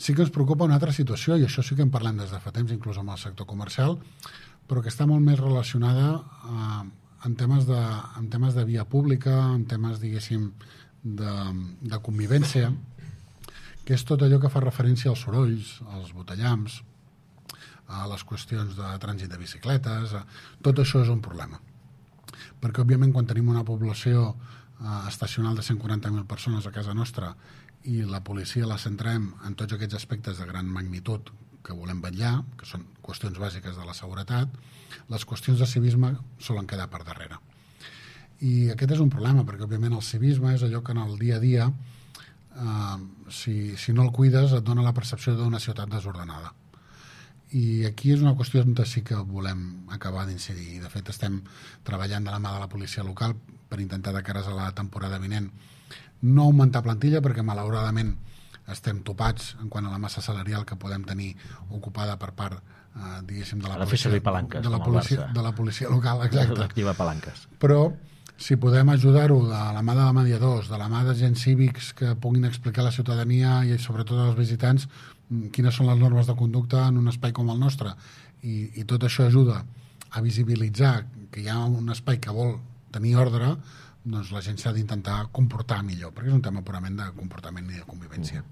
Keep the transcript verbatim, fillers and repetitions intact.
Sí que ens preocupa una altra situació, i això sí que en parlem des de fa temps, inclús amb el sector comercial, però que està molt més relacionada eh, en, temes de, en temes de via pública, en temes, diguéssim, de, de convivència, que és tot allò que fa referència als sorolls, als botellams, a les qüestions de trànsit de bicicletes, a... tot això és un problema. Perquè, òbviament, quan tenim una població eh, estacional de cent quaranta mil persones a casa nostra i la policia la centrem en tots aquests aspectes de gran magnitud que volem vetllar, que són qüestions bàsiques de la seguretat, les qüestions de civisme solen quedar per darrere. I aquest és un problema, perquè, òbviament, el civisme és allò que en el dia a dia, eh, si, si no el cuides, et dona la percepció d'una ciutat desordenada. I aquí és una qüestió on sí que volem acabar d'incidir. I, de fet, estem treballant de la mà de la policia local per intentar, de cares a la temporada vinent, no augmentar plantilla, perquè, malauradament, estem topats en quant a la massa salarial que podem tenir ocupada per part, eh, diguéssim, de la policia, palanques, de la policia, de la policia local, exacte. L'activa palanques. Però, si podem ajudar-ho de la mà de mediadors, de la mà d'agents cívics que puguin explicar a la ciutadania i sobretot als visitants quines són les normes de conducta en un espai com el nostre, i, i tot això ajuda a visibilitzar que hi ha un espai que vol tenir ordre, doncs la gent s'ha d'intentar comportar millor, perquè és un tema purament de comportament i de convivència.